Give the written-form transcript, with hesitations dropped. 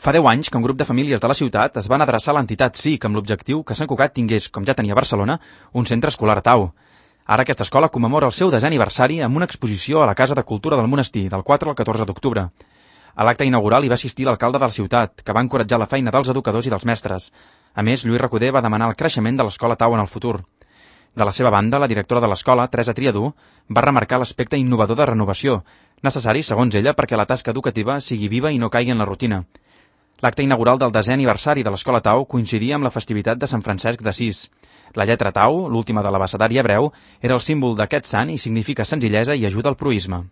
Fa 10 anys que un grup de famílies de la ciutat es van adreçar a l'entitat SIC amb l'objectiu que Sant Cugat tingués, com ja tenia Barcelona, un centre escolar Tau. Ara aquesta escola commemora el seu 10è aniversari amb una exposició a la Casa de Cultura del Monestir, del 4 al 14 d'octubre. A l'acte inaugural hi va assistir l'alcalde de la ciutat, que va encoratjar la feina dels educadors i dels mestres. A més, Lluís Recoder va demanar el creixement de l'escola Tau en el futur. De la seva banda, la directora de l'escola, Teresa Triadú, va remarcar l'aspecte innovador de renovació, necessari, segons ella, perquè la tasca educativa sigui viva i no caigui en la rutina. L'acte inaugural del 10è aniversari de l'Escola Tau coincidia amb la festivitat de Sant Francesc d'Assís. La lletra Tau, l'última de l'abecedari hebreu, era el símbol d'aquest sant i significa senzillesa i ajuda al proïsme.